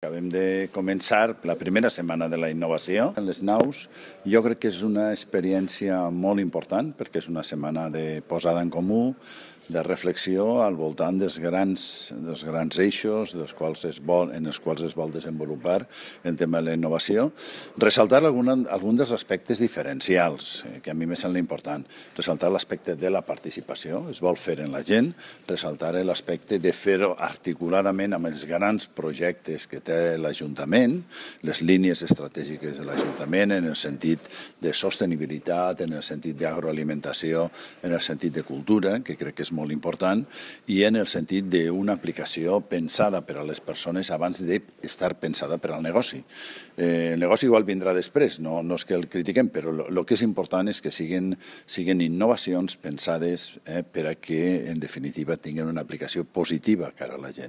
Acabem de començar la primera setmana de la innovació en les naus. Jo crec que és una experiència molt important perquè és una setmana de posada en comú, de reflexió al voltant dels grans eixos en els quals es vol desenvolupar el tema de la innovació. Ressaltar algun dels aspectes diferencials, que a mi me sembla important. Ressaltar l'aspecte de la participació, es vol fer en la gent, ressaltar l'aspecte de fer-ho articuladament amb els grans projectes que té l'Ajuntament, les línies estratègiques de l'Ajuntament en el sentit de sostenibilitat, en el sentit d'agroalimentació, en el sentit de cultura, que crec que és molt important, i en el sentit d'una aplicació pensada per a les persones abans d'estar pensada per al negoci. El negoci igual vindrà després, no és que el critiquem, però el que és important és que siguin innovacions pensades per a que, en definitiva, tinguin una aplicació positiva cara a la gent.